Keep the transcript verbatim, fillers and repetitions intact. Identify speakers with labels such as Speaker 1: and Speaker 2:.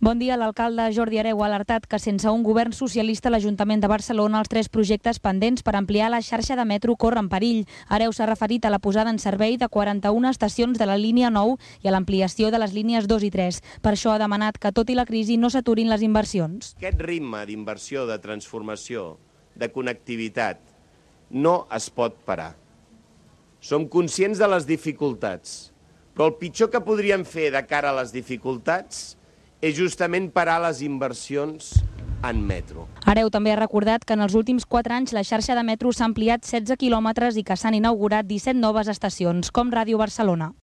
Speaker 1: Bon dia. L'alcalde Jordi Hereu ha alertat que sense un govern socialista l'Ajuntament de Barcelona els tres projectes pendents per ampliar la xarxa de metro corren perill. Hereu s'ha referit a la posada en servei de quaranta-una estacions de la línia nou i a l'ampliació de les línies dos i tres. Per això ha demanat que, tot i la crisi, no s'aturin les inversions.
Speaker 2: Aquest ritme d'inversió, de transformació, de connectivitat, no es pot parar. Som conscients de les dificultats, però el pitjor que podríem fer de cara a les dificultats és justament parar les inversions en metro.
Speaker 1: Hereu també ha recordat que en els últims quatre anys la xarxa de metro s'ha ampliat setze quilòmetres i que s'han inaugurat disset noves estacions, com Ràdio Barcelona.